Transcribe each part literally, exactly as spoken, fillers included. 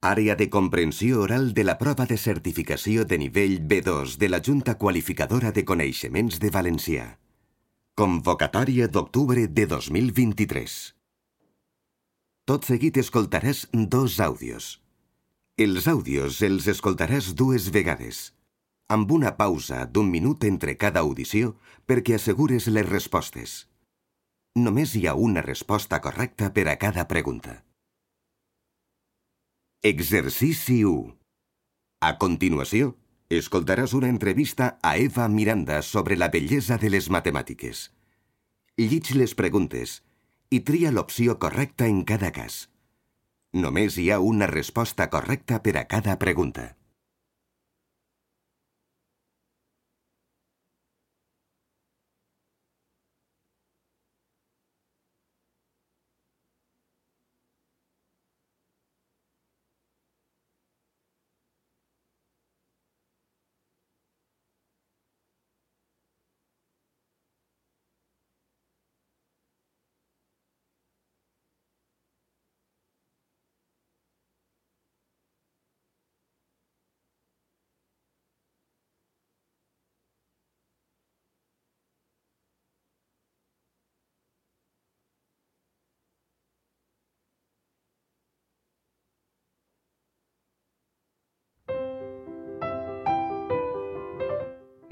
Àrea de comprensió oral de la prova de certificació de nivell B dos de la Junta Qualificadora de Coneixements de Valencià. Convocatòria d'octubre de dos mil vint-i-tres. Tot seguit escoltaràs dos àudios. Els àudios els escoltaràs dues vegades, amb una pausa d'un minut entre cada audició perquè assegures les respostes. Només hi ha una resposta correcta per a cada pregunta. Exercici u. A continuació, escoltaràs una entrevista a Eva Miranda sobre la bellesa de les matemàtiques. Llig les preguntes i tria l'opció correcta en cada cas. Només hi ha una resposta correcta per a cada pregunta.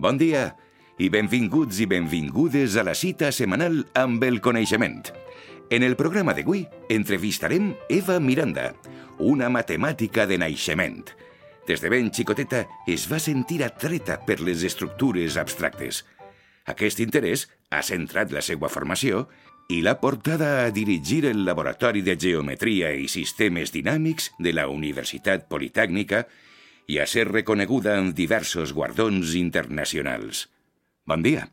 Bon dia i benvinguts i benvingudes a la cita setmanal amb el coneixement. En el programa d'avui entrevistarem Eva Miranda, una matemàtica de naixement. Des de ben xicoteta es va sentir atreta per les estructures abstractes. Aquest interès ha centrat la seva formació i l'ha portada a dirigir el Laboratori de Geometria i Sistemes Dinàmics de la Universitat Politècnica i a ser reconeguda en diversos guardons internacionals. Bon dia.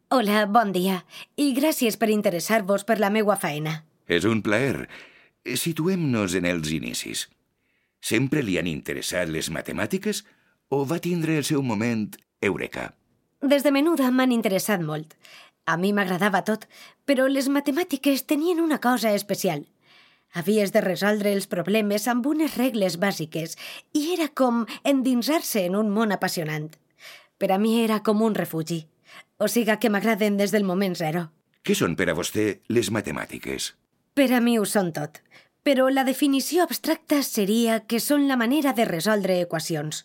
Hola, bon dia, i gràcies per interessar-vos per la meua feina. És un plaer. Situem-nos en els inicis. Sempre li han interessat les matemàtiques o va tindre el seu moment eureka? Des de menuda m'han interessat molt. A mi m'agradava tot, però les matemàtiques tenien una cosa especial. Havies de resoldre els problemes amb unes regles bàsiques i era com endinsar-se en un món apassionant. Per a mi era com un refugi. O siga que m'agraden des del moment zero. Què són per a vostè les matemàtiques? Per a mi ho són tot. Però la definició abstracta seria que són la manera de resoldre equacions.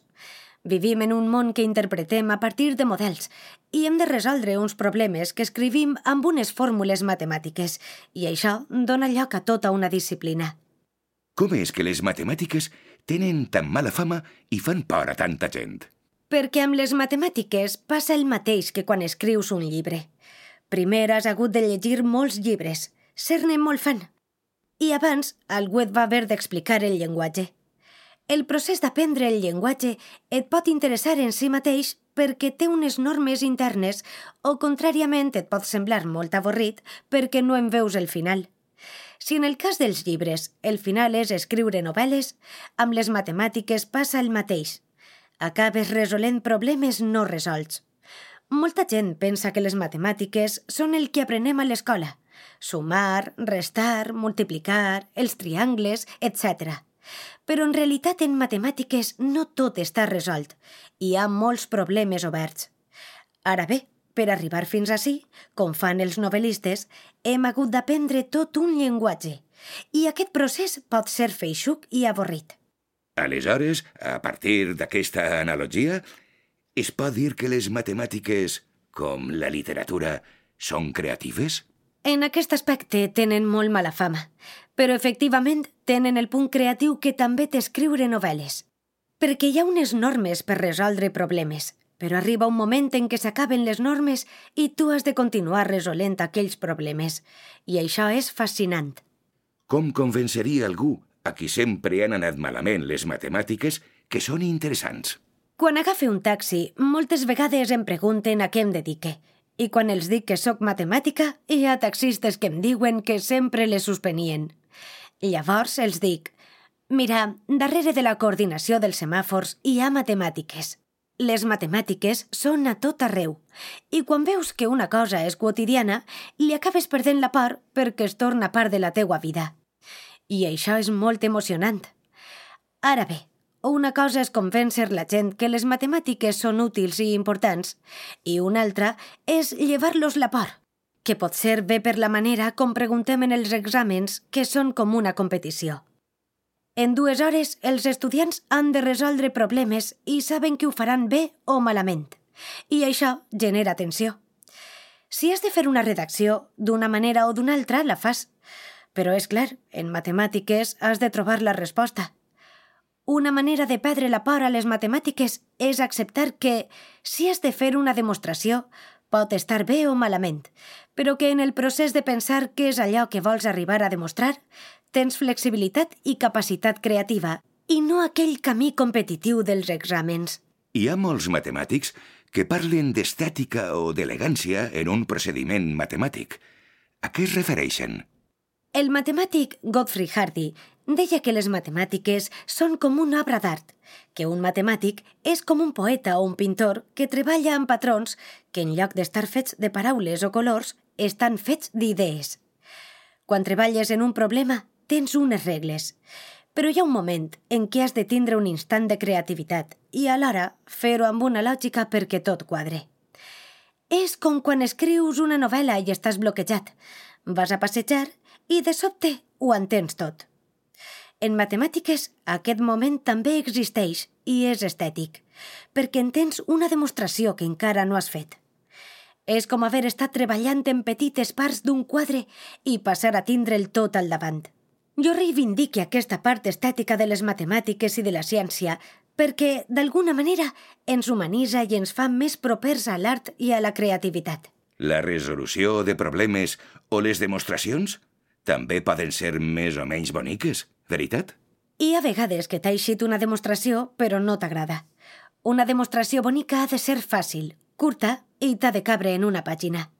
Vivim en un món que interpretem a partir de models i hem de resoldre uns problemes que escrivim amb unes fórmules matemàtiques i això dona lloc a tota una disciplina. Com és que les matemàtiques tenen tan mala fama i fan por a tanta gent? Perquè amb les matemàtiques passa el mateix que quan escrius un llibre. Primer has hagut de llegir molts llibres, ser-ne molt fan. I abans algú et va haver d'explicar el llenguatge. El procés d'aprendre el llenguatge et pot interessar en si mateix perquè té unes normes internes o, contràriament, et pot semblar molt avorrit perquè no en veus el final. Si en el cas dels llibres el final és escriure novel·les, amb les matemàtiques passa el mateix. Acabes resolent problemes no resolts. Molta gent pensa que les matemàtiques són el que aprenem a l'escola. Sumar, restar, multiplicar, els triangles, etcètera. Però en realitat en matemàtiques no tot està resolt. Hi ha molts problemes oberts. Ara bé, per arribar fins ací, com fan els novel·listes, hem hagut d'aprendre tot un llenguatge. I aquest procés pot ser feixuc i avorrit. Aleshores, a partir d'aquesta analogia, es pot dir que les matemàtiques, com la literatura, són creatives? En aquest aspecte tenen molt mala fama, però efectivament tenen el punt creatiu que també té escriure novel·les. Perquè hi ha unes normes per resoldre problemes, però arriba un moment en què s'acaben les normes i tu has de continuar resolent aquells problemes. I això és fascinant. Com convenceria algú a qui sempre han anat malament les matemàtiques que són interessants? Quan agafe un taxi, moltes vegades em pregunten a què em dedique. I quan els dic que sóc matemàtica, hi ha taxistes que em diuen que sempre les suspenien. Llavors els dic, mira, darrere de la coordinació dels semàfors hi ha matemàtiques. Les matemàtiques són a tot arreu. I quan veus que una cosa és quotidiana, li acabes perdent la por perquè es torna part de la teua vida. I això és molt emocionant. Ara bé, una cosa és convèncer la gent que les matemàtiques són útils i importants i una altra és llevar-los la por, que pot ser bé per la manera com preguntem en els exàmens, que són com una competició. En dues hores, els estudiants han de resoldre problemes i saben que ho faran bé o malament, i això genera tensió. Si has de fer una redacció, d'una manera o d'una altra, la fas. Però és clar, en matemàtiques has de trobar la resposta. Una manera de perdre la por a les matemàtiques és acceptar que, si has de fer una demostració, pot estar bé o malament, però que en el procés de pensar què és allò que vols arribar a demostrar, tens flexibilitat i capacitat creativa, i no aquell camí competitiu dels exàmens. Hi ha molts matemàtics que parlen d'estètica o d'elegància en un procediment matemàtic. A què es refereixen? El matemàtic Godfrey Hardy deia que les matemàtiques són com una obra d'art, que un matemàtic és com un poeta o un pintor que treballa amb patrons que en lloc d'estar fets de paraules o colors, estan fets d'idees. Quan treballes en un problema, tens unes regles, però hi ha un moment en què has de tindre un instant de creativitat i alhora fer-ho amb una lògica perquè tot quadre. És com quan escrius una novel·la i estàs bloquejat. Vas a passejar i de sobte ho entens tot. En matemàtiques, aquest moment també existeix i és estètic, perquè entens una demostració que encara no has fet. És com haver estat treballant en petites parts d'un quadre i passar a tindre'l tot al davant. Jo reivindique aquesta part estètica de les matemàtiques i de la ciència perquè, d'alguna manera, ens humanitza i ens fa més propers a l'art i a la creativitat. La resolució de problemes o les demostracions també poden ser més o menys boniques, veritat? Hi ha vegades que t'ha eixit una demostració, però no t'agrada. Una demostració bonica ha de ser fàcil, curta i t'ha de cabre en una pàgina.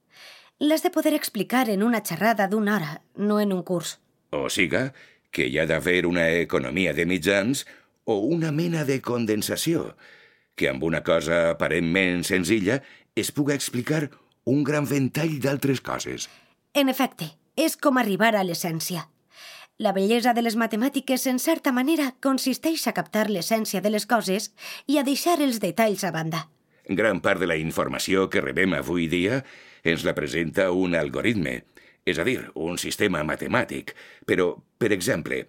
L'has de poder explicar en una xerrada d'una hora, no en un curs. O siga, que hi ha d'haver una economia de mitjans o una mena de condensació, que amb una cosa aparentment senzilla es puga explicar un gran ventall d'altres coses. En efecte, és com arribar a l'essència. La bellesa de les matemàtiques, en certa manera, consisteix a captar l'essència de les coses i a deixar els detalls a banda. Gran part de la informació que rebem avui dia ens la presenta un algoritme, és a dir, un sistema matemàtic. Però, per exemple,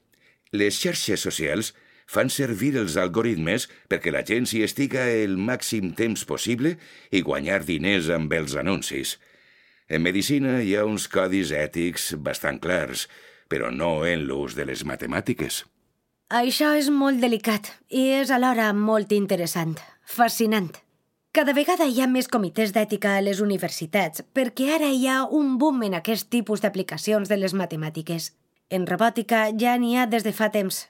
les xarxes socials fan servir els algoritmes perquè la gent s'hi estiga el màxim temps possible i guanyar diners amb els anuncis. En medicina hi ha uns codis ètics bastant clars, però no en l'ús de les matemàtiques. Això és molt delicat i és alhora molt interessant, fascinant. Cada vegada hi ha més comitès d'ètica a les universitats perquè ara hi ha un boom en aquest tipus d'aplicacions de les matemàtiques. En robòtica ja n'hi ha des de fa temps.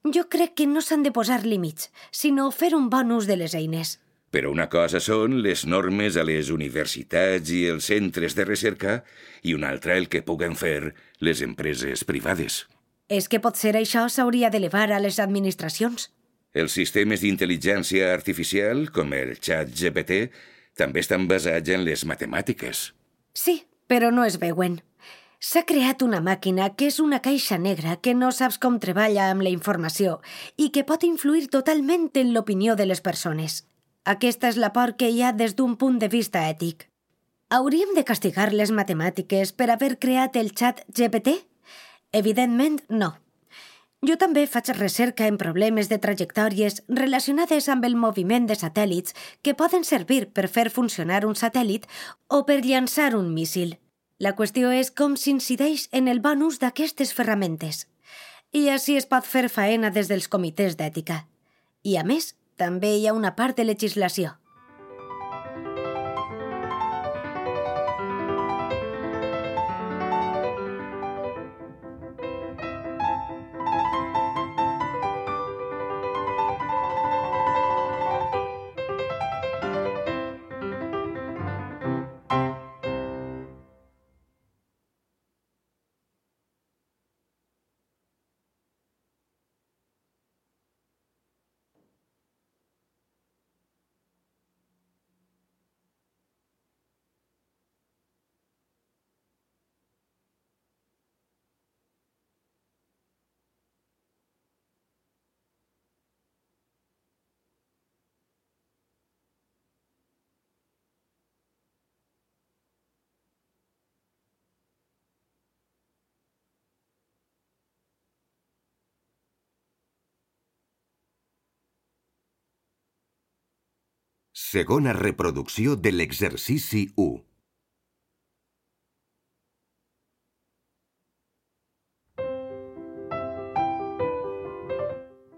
Jo crec que no s'han de posar límits, sinó fer un bon ús de les eines. Però una cosa són les normes a les universitats i els centres de recerca i una altra el que puguen fer les empreses privades. És que potser això s'hauria d'elevar a les administracions. Els sistemes d'intel·ligència artificial, com el xat G P T, també estan basats en les matemàtiques. Sí, però no es veuen. S'ha creat una màquina que és una caixa negra que no saps com treballa amb la informació i que pot influir totalment en l'opinió de les persones. Aquesta és la por que hi ha des d'un punt de vista ètic. Hauríem de castigar les matemàtiques per haver creat el xat G P T? Evidentment, no. Jo també faig recerca en problemes de trajectòries relacionades amb el moviment de satèl·lits que poden servir per fer funcionar un satèl·lit o per llançar un míssil. La qüestió és com s'incideix en el bon ús d'aquestes ferramentes. I així es pot fer faena des dels comitès d'ètica. I a més, també hi ha una part de legislació. Segona reproducció de l'exercici u.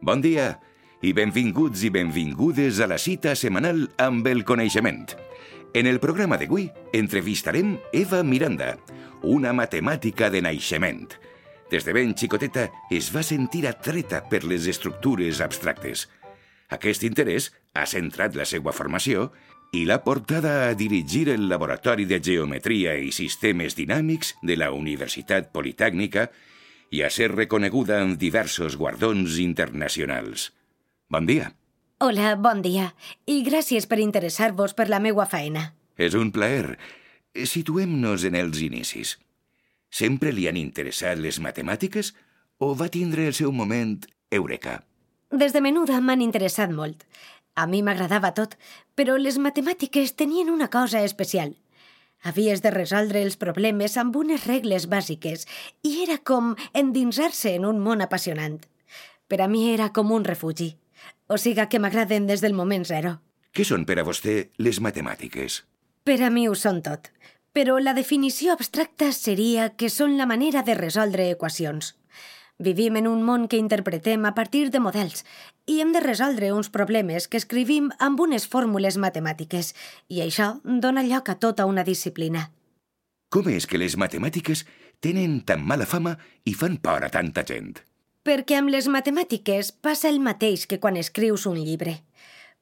Bon dia i benvinguts i benvingudes a la cita setmanal amb el coneixement. En el programa d'avui entrevistarem Eva Miranda, una matemàtica de naixement. Des de ben xicoteta es va sentir atreta per les estructures abstractes. Aquest interès ha centrat la seva formació i l'ha portada a dirigir el Laboratori de Geometria i Sistemes Dinàmics de la Universitat Politècnica i a ser reconeguda amb diversos guardons internacionals. Bon dia. Hola, bon dia, i gràcies per interessar-vos per la meua feina. És un plaer. Situem-nos en els inicis. Sempre li han interessat les matemàtiques o va tindre el seu moment eureka? Des de menuda m'han interessat molt. A mi m'agradava tot, però les matemàtiques tenien una cosa especial. Havies de resoldre els problemes amb unes regles bàsiques i era com endinsar-se en un món apassionant. Per a mi era com un refugi. O siga que m'agraden des del moment zero. Què són per a vostè les matemàtiques? Per a mi ho són tot, però la definició abstracta seria que són la manera de resoldre equacions. Vivim en un món que interpretem a partir de models i hem de resoldre uns problemes que escrivim amb unes fórmules matemàtiques i això dona lloc a tota una disciplina. Com és que les matemàtiques tenen tan mala fama i fan por a tanta gent? Perquè amb les matemàtiques passa el mateix que quan escrius un llibre.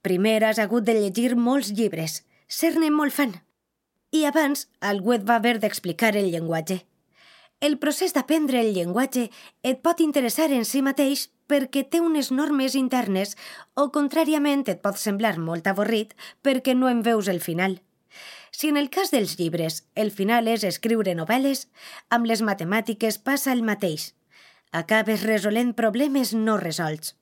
Primer has hagut de llegir molts llibres, ser-ne molt fan. I abans algú et va haver d'explicar el llenguatge. El procés d'aprendre el llenguatge et pot interessar en si mateix perquè té unes normes internes o, contràriament, et pot semblar molt avorrit perquè no en veus el final. Si en el cas dels llibres el final és escriure novel·les, amb les matemàtiques passa el mateix. Acabes resolent problemes no resolts.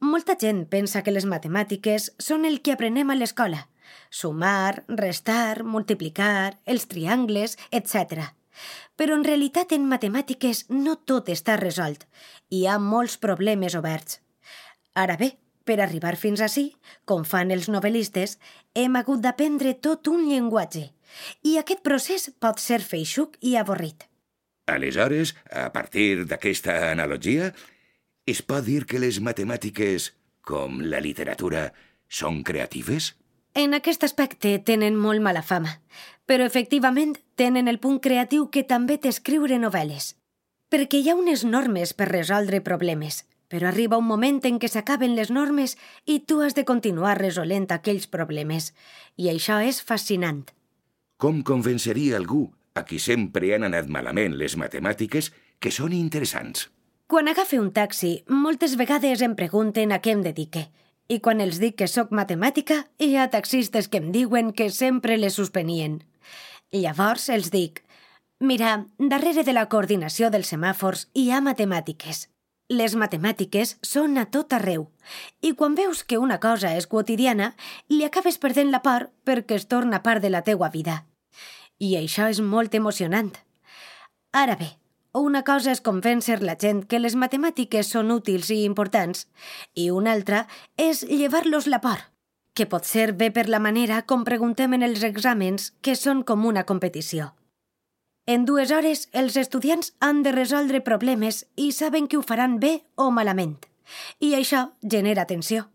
Molta gent pensa que les matemàtiques són el que aprenem a l'escola. Sumar, restar, multiplicar, els triangles, etcètera. Però en realitat en matemàtiques no tot està resolt. Hi ha molts problemes oberts. Ara bé, per arribar fins ací, com fan els novel·listes, hem hagut d'aprendre tot un llenguatge. I aquest procés pot ser feixuc i avorrit. Aleshores, a partir d'aquesta analogia, es pot dir que les matemàtiques, com la literatura, són creatives? En aquest aspecte tenen molt mala fama, però efectivament tenen el punt creatiu que també té escriure novel·les. Perquè hi ha unes normes per resoldre problemes, però arriba un moment en què s'acaben les normes i tu has de continuar resolent aquells problemes. I això és fascinant. Com convenceria algú a qui sempre han anat malament les matemàtiques que són interessants? Quan agafe un taxi, moltes vegades em pregunten a què em dedique. I quan els dic que sóc matemàtica, hi ha taxistes que em diuen que sempre les suspenien. Llavors els dic, mira, darrere de la coordinació dels semàfors hi ha matemàtiques. Les matemàtiques són a tot arreu. I quan veus que una cosa és quotidiana, li acabes perdent la por perquè es torna part de la teua vida. I això és molt emocionant. Ara bé, una cosa és convèncer la gent que les matemàtiques són útils i importants i una altra és llevar-los la por, que pot ser bé per la manera com preguntem en els exàmens que són com una competició. En dues hores els estudiants han de resoldre problemes i saben que ho faran bé o malament, i això genera tensió.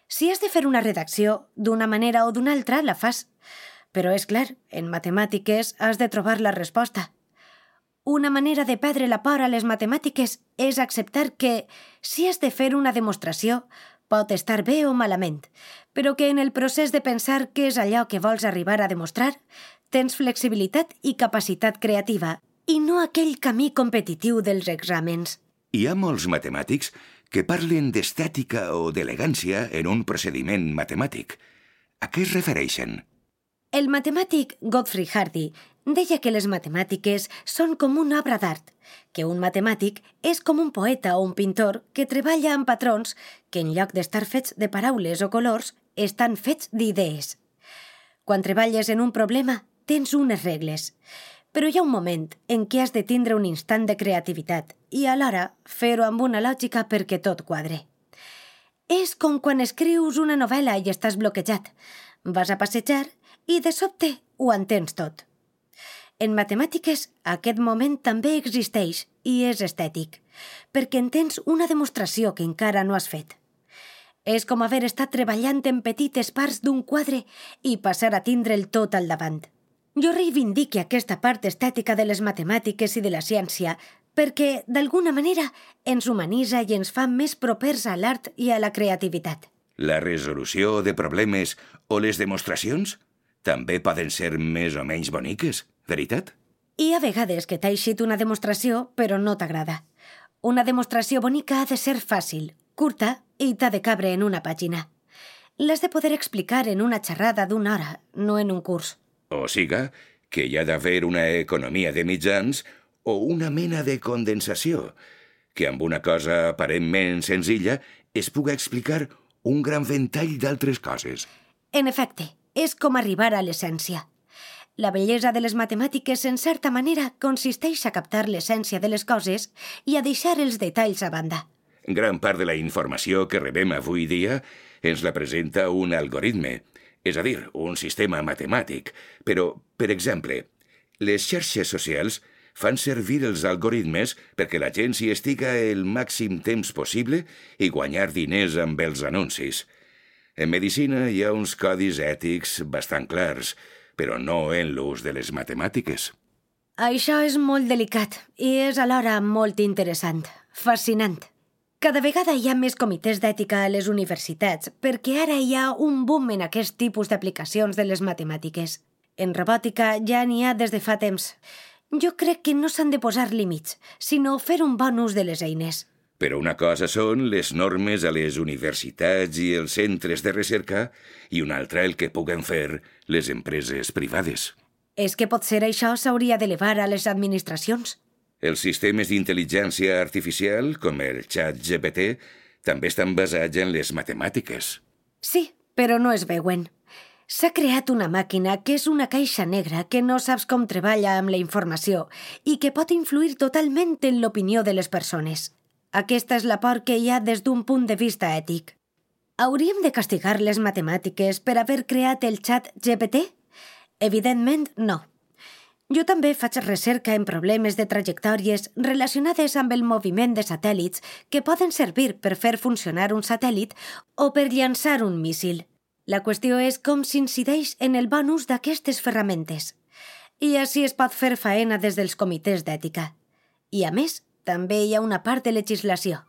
Si has de fer una redacció d'una manera o d'una altra, la fas, però és clar, en matemàtiques has de trobar la resposta. Una manera de perdre la por a les matemàtiques és acceptar que, si has de fer una demostració, pot estar bé o malament, però que en el procés de pensar què és allò que vols arribar a demostrar, tens flexibilitat i capacitat creativa, i no aquell camí competitiu dels exàmens. Hi ha molts matemàtics que parlen d'estètica o d'elegància en un procediment matemàtic. A què es refereixen? El matemàtic Godfrey Hardy deia que les matemàtiques són com una obra d'art, que un matemàtic és com un poeta o un pintor que treballa amb patrons que en lloc d'estar fets de paraules o colors, estan fets d'idees. Quan treballes en un problema, tens unes regles, però hi ha un moment en què has de tindre un instant de creativitat i alhora fer-ho amb una lògica perquè tot quadre. És com quan escrius una novel·la i estàs bloquejat. Vas a passejar i de sobte ho entens tot. En matemàtiques, aquest moment també existeix i és estètic, perquè entens una demostració que encara no has fet. És com haver estat treballant en petites parts d'un quadre i passar a tindre'l tot al davant. Jo reivindique aquesta part estètica de les matemàtiques i de la ciència perquè, d'alguna manera, ens humanitza i ens fa més propers a l'art i a la creativitat. La resolució de problemes o les demostracions també poden ser més o menys boniques, veritat? Hi ha vegades que t'ha eixit una demostració, però no t'agrada. Una demostració bonica ha de ser fàcil, curta i t'ha de cabre en una pàgina. L'has de poder explicar en una xerrada d'una hora, no en un curs. O siga, que hi ha d'haver una economia de mitjans o una mena de condensació, que amb una cosa aparentment senzilla es puga explicar un gran ventall d'altres coses. En efecte, és com arribar a l'essència. La bellesa de les matemàtiques, en certa manera, consisteix a captar l'essència de les coses i a deixar els detalls a banda. Gran part de la informació que rebem avui dia ens la presenta un algoritme, és a dir, un sistema matemàtic. Però, per exemple, les xarxes socials fan servir els algoritmes perquè la gent s'hi estiga el màxim temps possible i guanyar diners amb els anuncis. En medicina hi ha uns codis ètics bastant clars, però no en l'ús de les matemàtiques. Això és molt delicat i és alhora molt interessant, fascinant. Cada vegada hi ha més comitès d'ètica a les universitats perquè ara hi ha un boom en aquest tipus d'aplicacions de les matemàtiques. En robòtica ja n'hi ha des de fa temps. Jo crec que no s'han de posar límits, sinó fer un bon ús de les eines. Però una cosa són les normes a les universitats i els centres de recerca i una altra el que puguen fer les empreses privades. És que potser això s'hauria d'elevar a les administracions. Els sistemes d'intel·ligència artificial, com el xat G P T, també estan basats en les matemàtiques. Sí, però no es veuen. S'ha creat una màquina que és una caixa negra que no saps com treballa amb la informació i que pot influir totalment en l'opinió de les persones. Aquesta és la por que hi ha des d'un punt de vista ètic. Hauríem de castigar les matemàtiques per haver creat el xat G P T? Evidentment, no. Jo també faig recerca en problemes de trajectòries relacionades amb el moviment de satèl·lits que poden servir per fer funcionar un satèl·lit o per llançar un míssil. La qüestió és com s'incideix en el bon ús d'aquestes ferramentes. I així es pot fer faena des dels comitès d'ètica. I a més, també hi ha una part de legislació.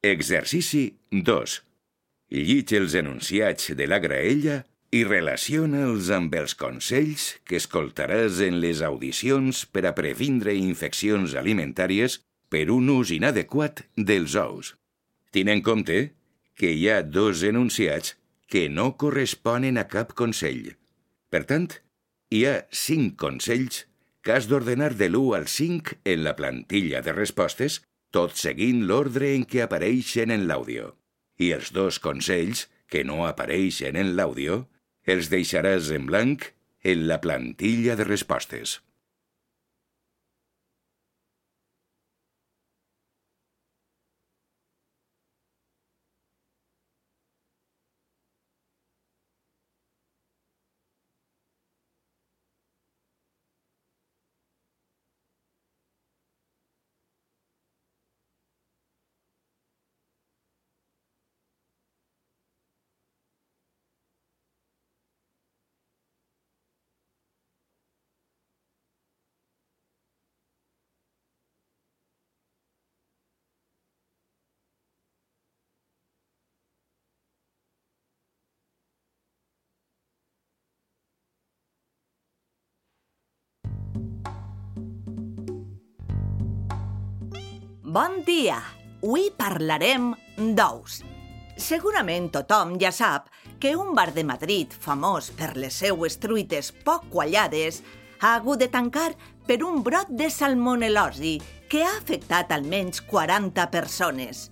Exercici dos. Llig els enunciats de la graella i relaciona-els amb els consells que escoltaràs en les audicions per a previndre infeccions alimentàries per un ús inadequat dels ous. Tin en compte que hi ha dos enunciats que no corresponen a cap consell. Per tant, hi ha cinc consells que has d'ordenar de l'u al cinc en la plantilla de respostes, tot seguint l'ordre en què apareixen en l'àudio. I els dos consells que no apareixen en l'àudio els deixaràs en blanc en la plantilla de respostes. Bon dia! Avui parlarem d'ous. Segurament tothom ja sap que un bar de Madrid famós per les seues truites poc quallades ha hagut de tancar per un brot de salmonel·losi que ha afectat almenys quaranta persones.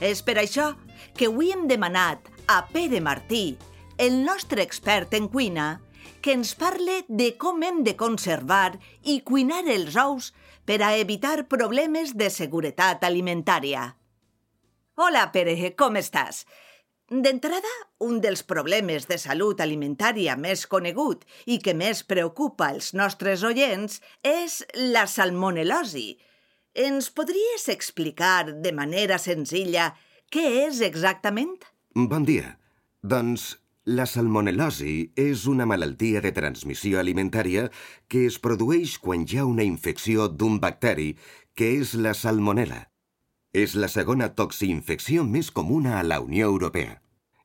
És per això que avui hem demanat a Pere Martí, el nostre expert en cuina, que ens parle de com hem de conservar i cuinar els ous per a evitar problemes de seguretat alimentària. Hola, Pere, com estàs? D'entrada, un dels problemes de salut alimentària més conegut i que més preocupa els nostres oients és la salmonel·losi. Ens podries explicar de manera senzilla què és exactament? Bon dia. Doncs la salmonel·losi és una malaltia de transmissió alimentària que es produeix quan hi ha una infecció d'un bacteri, que és la salmonel·la. És la segona toxiinfecció més comuna a la Unió Europea.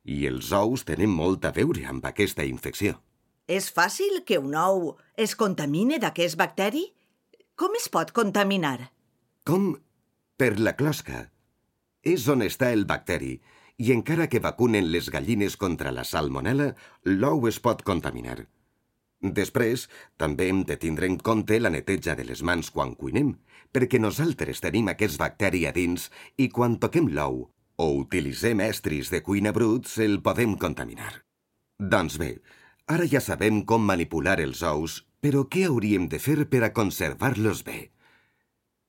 I els ous tenen molt a veure amb aquesta infecció. És fàcil que un ou es contamine d'aquest bacteri? Com es pot contaminar? Com? Per la closca. És on està el bacteri, i encara que vacunen les gallines contra la salmonel·la, l'ou es pot contaminar. Després, també hem de tindre en compte la neteja de les mans quan cuinem, perquè nosaltres tenim aquest bacteri a dins i quan toquem l'ou o utilitzem estris de cuina bruts, el podem contaminar. Doncs bé, ara ja sabem com manipular els ous, però què hauríem de fer per a conservar-los bé?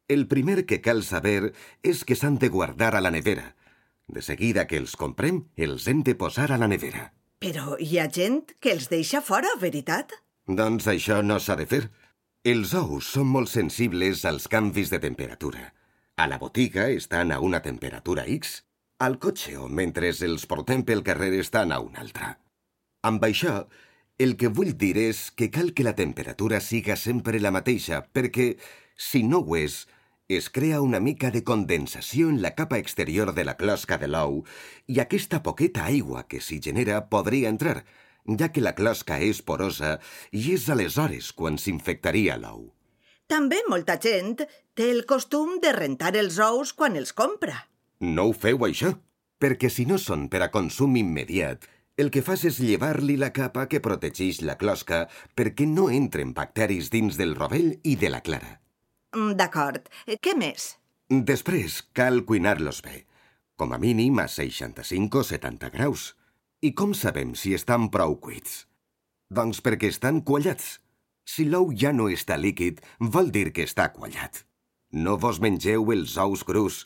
El primer que cal saber és que s'han de guardar a la nevera. De seguida que els comprem, els hem de posar a la nevera. Però hi ha gent que els deixa fora, veritat? Doncs això no s'ha de fer. Els ous són molt sensibles als canvis de temperatura. A la botiga estan a una temperatura X. Al cotxe o mentre els portem pel carrer estan a una altra. Amb això, el que vull dir és que cal que la temperatura siga sempre la mateixa, perquè, si no ho és, es crea una mica de condensació en la capa exterior de la closca de l'ou i aquesta poqueta aigua que s'hi genera podria entrar, ja que la closca és porosa i és aleshores quan s'infectaria l'ou. També molta gent té el costum de rentar els ous quan els compra. No ho feu, això, perquè si no són per a consum immediat, el que fas és llevar-li la capa que protegeix la closca perquè no entren bacteris dins del rovell i de la clara. D'acord. Què més? Després, cal cuinar-los bé, com a mínim a seixanta-cinc o setanta graus. I com sabem si estan prou cuits? Doncs perquè estan quallats. Si l'ou ja no està líquid, vol dir que està quallat. No vos mengeu els ous crus.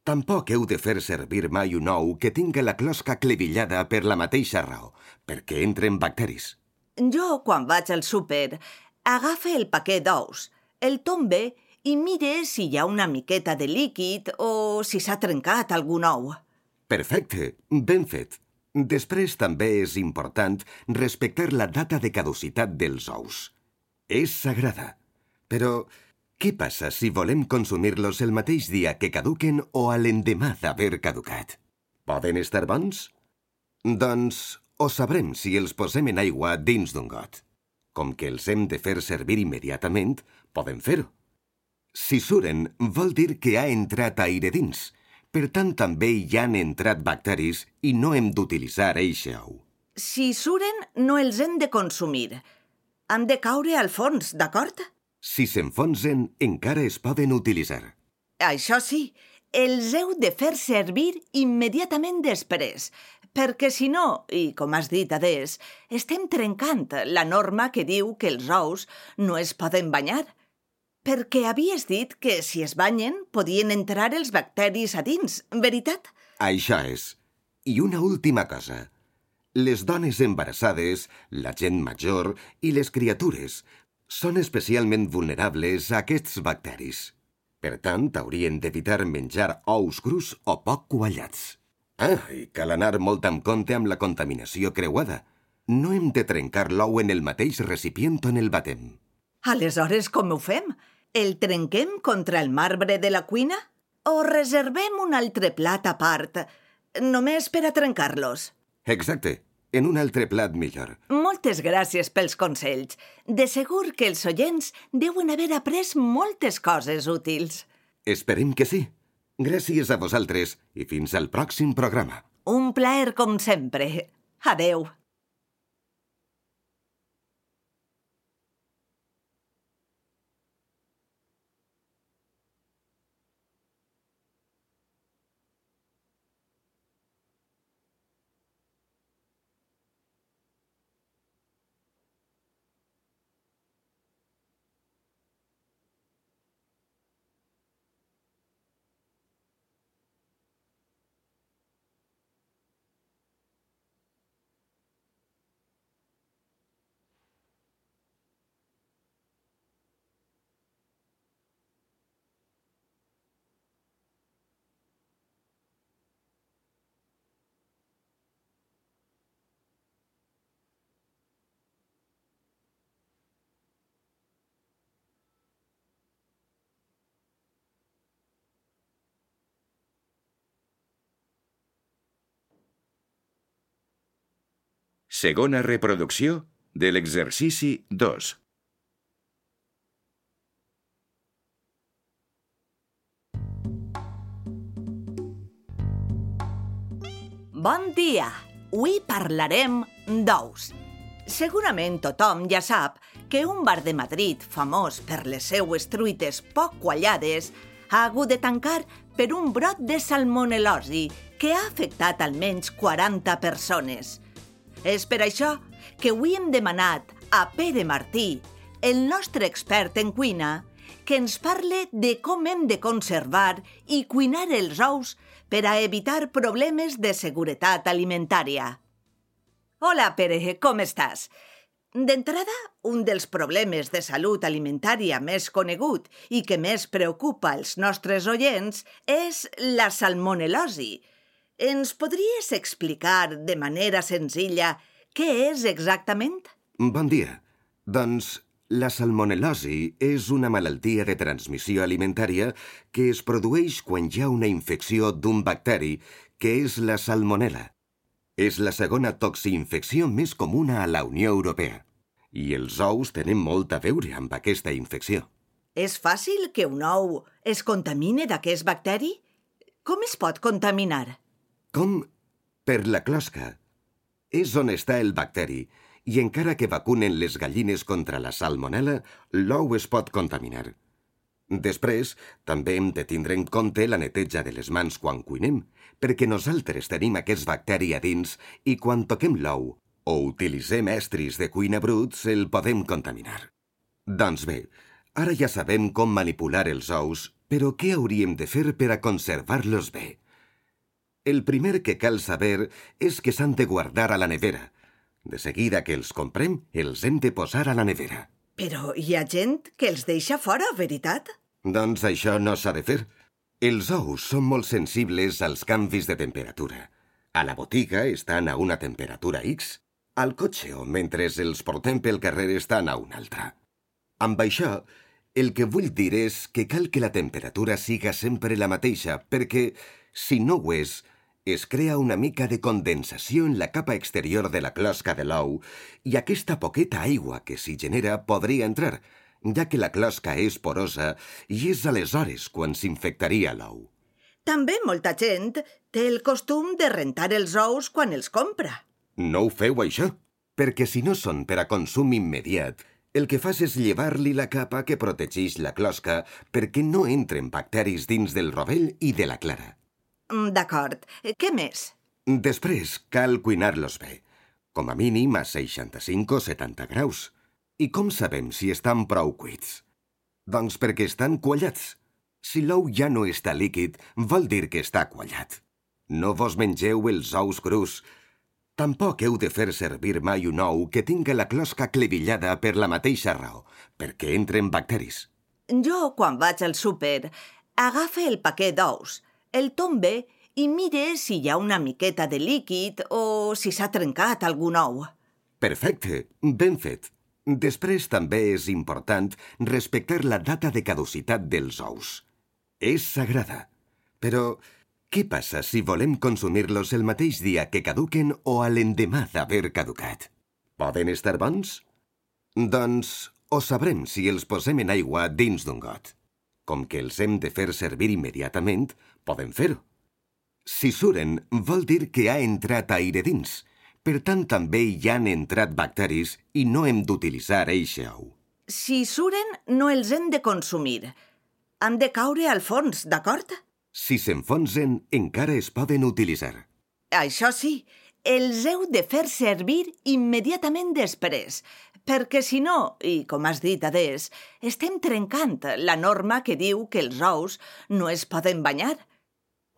Tampoc heu de fer servir mai un ou que tinga la closca clevillada per la mateixa raó, perquè entren bacteris. Jo, quan vaig al súper, agafe el paquet d'ous, el tombe i mire si hi ha una miqueta de líquid o si s'ha trencat algun ou. Perfecte, ben fet. Després també és important respectar la data de caducitat dels ous. És sagrada. Però què passa si volem consumir-los el mateix dia que caduquen o a l'endemà d'haver caducat? Poden estar bons? Doncs ho sabrem si els posem en aigua dins d'un got. Com que els hem de fer servir immediatament, podem fer-ho. Si suren, vol dir que ha entrat aire dins. Per tant, també hi han entrat bacteris i no hem d'utilitzar eixe ou. Si suren, no els hem de consumir. Han de caure al fons, d'acord? Si s'enfonsen, encara es poden utilitzar. Això sí, els heu de fer servir immediatament després, perquè si no, i com has dit adés, estem trencant la norma que diu que els ous no es poden banyar. Perquè havies dit que si es banyen podien entrar els bacteris a dins, veritat? Això és. I una última cosa. Les dones embarassades, la gent major i les criatures són especialment vulnerables a aquests bacteris. Per tant, haurien d'evitar menjar ous crus o poc quallats. Ah, i cal anar molt amb compte amb la contaminació creuada. No hem de trencar l'ou en el mateix recipient on el batem. Aleshores, com ho fem? El trenquem contra el marbre de la cuina? O reservem un altre plat a part, només per a trencar-los? Exacte, en un altre plat millor. Moltes gràcies pels consells. De segur que els oients deuen haver après moltes coses útils. Esperem que sí. Gràcies a vosaltres i fins al pròxim programa. Un plaer com sempre. Adeu. Segona reproducció de l'exercici dos. Bon dia! Avui parlarem d'ous. Segurament tothom ja sap que un bar de Madrid, famós per les seues truites poc quallades, ha hagut de tancar per un brot de salmonel·losi que ha afectat almenys quaranta persones. És per això que avui hem demanat a Pere Martí, el nostre expert en cuina, que ens parle de com hem de conservar i cuinar els ous per a evitar problemes de seguretat alimentària. Hola, Pere, com estàs? D'entrada, un dels problemes de salut alimentària més conegut i que més preocupa els nostres oients és la salmonel·losi. Ens podries explicar de manera senzilla què és exactament? Bon dia. Doncs la salmonel·losi és una malaltia de transmissió alimentària que es produeix quan hi ha una infecció d'un bacteri, que és la salmonel·la. És la segona toxinfecció més comuna a la Unió Europea. I els ous tenen molt a veure amb aquesta infecció. És fàcil que un ou es contamine d'aquest bacteri? Com es pot contaminar? Com? Per la closca. És on està el bacteri, i encara que vacunen les gallines contra la salmonel·la, l'ou es pot contaminar. Després, també hem de tindre en compte la neteja de les mans quan cuinem, perquè nosaltres tenim aquest bacteri a dins i quan toquem l'ou o utilitzem estris de cuina bruts, el podem contaminar. Doncs bé, ara ja sabem com manipular els ous, però què hauríem de fer per a conservar-los bé? El primer que cal saber és que s'han de guardar a la nevera. De seguida que els comprem, els hem de posar a la nevera. Però hi ha gent que els deixa fora, veritat? Doncs això no s'ha de fer. Els ous són molt sensibles als canvis de temperatura. A la botiga estan a una temperatura X. Al cotxe o mentre els portem pel carrer estan a una altra. Amb això, el que vull dir és que cal que la temperatura siga sempre la mateixa, perquè, si no ho és, es crea una mica de condensació en la capa exterior de la closca de l'ou i aquesta poqueta aigua que s'hi genera podria entrar, ja que la closca és porosa i és aleshores quan s'infectaria l'ou. També molta gent té el costum de rentar els ous quan els compra. No ho feu, això, perquè si no són per a consum immediat, el que fas és llevar-li la capa que protegeix la closca perquè no entren bacteris dins del rovell i de la clara. D'acord. Què més? Després cal cuinar-los bé, com a mínim a seixanta-cinc o setanta graus. I com sabem si estan prou cuits? Doncs perquè estan quallats. Si l'ou ja no està líquid, vol dir que està quallat. No vos mengeu els ous crus. Tampoc heu de fer servir mai un ou que tinga la closca clevillada per la mateixa raó, perquè entren bacteris. Jo, quan vaig al súper, agafe el paquet d'ous, el tombe i mire si hi ha una miqueta de líquid o si s'ha trencat algun ou. Perfecte, ben fet. Després també és important respectar la data de caducitat dels ous. És sagrada. Però què passa si volem consumir-los el mateix dia que caduquen o a l'endemà d'haver caducat? Poden estar bons? Doncs ho sabrem si els posem en aigua dins d'un got. Com que els hem de fer servir immediatament, podem fer-ho. Si suren vol dir que ha entrat aire dins. Per tant, també hi han entrat bacteris i no hem d'utilitzar eixe ou. Si suren, no els hem de consumir. Han de caure al fons, d'acord? Si s'enfonsen, encara es poden utilitzar. Això sí, els heu de fer servir immediatament després, perquè si no, i com has dit, Adés, estem trencant la norma que diu que els ous no es poden banyar.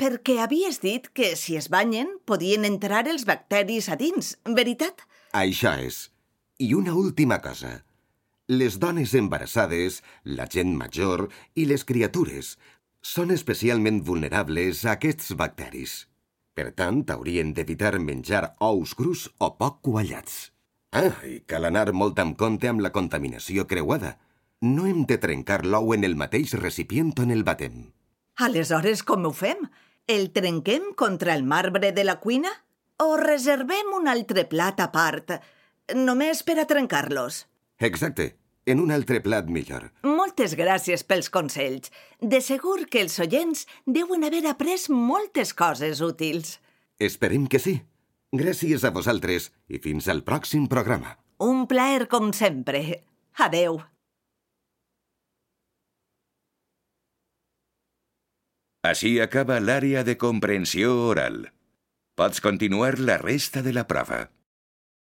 Perquè havies dit que si es banyen podien entrar els bacteris a dins, veritat? Això és. I una última cosa. Les dones embarassades, la gent major i les criatures són especialment vulnerables a aquests bacteris. Per tant, haurien d'evitar menjar ous crus o poc quallats. Ah, i cal anar molt amb compte amb la contaminació creuada. No hem de trencar l'ou en el mateix recipient on el batem. Aleshores, com ho fem? El trenquem contra el marbre de la cuina? O reservem un altre plat a part, només per a trencar-los? Exacte, en un altre plat millor. Moltes gràcies pels consells. De segur que els oients deuen haver après moltes coses útils. Esperem que sí. Gràcies a vosaltres i fins al pròxim programa. Un plaer com sempre. Adeu. Així acaba l'àrea de comprensió oral. Pots continuar la resta de la prova.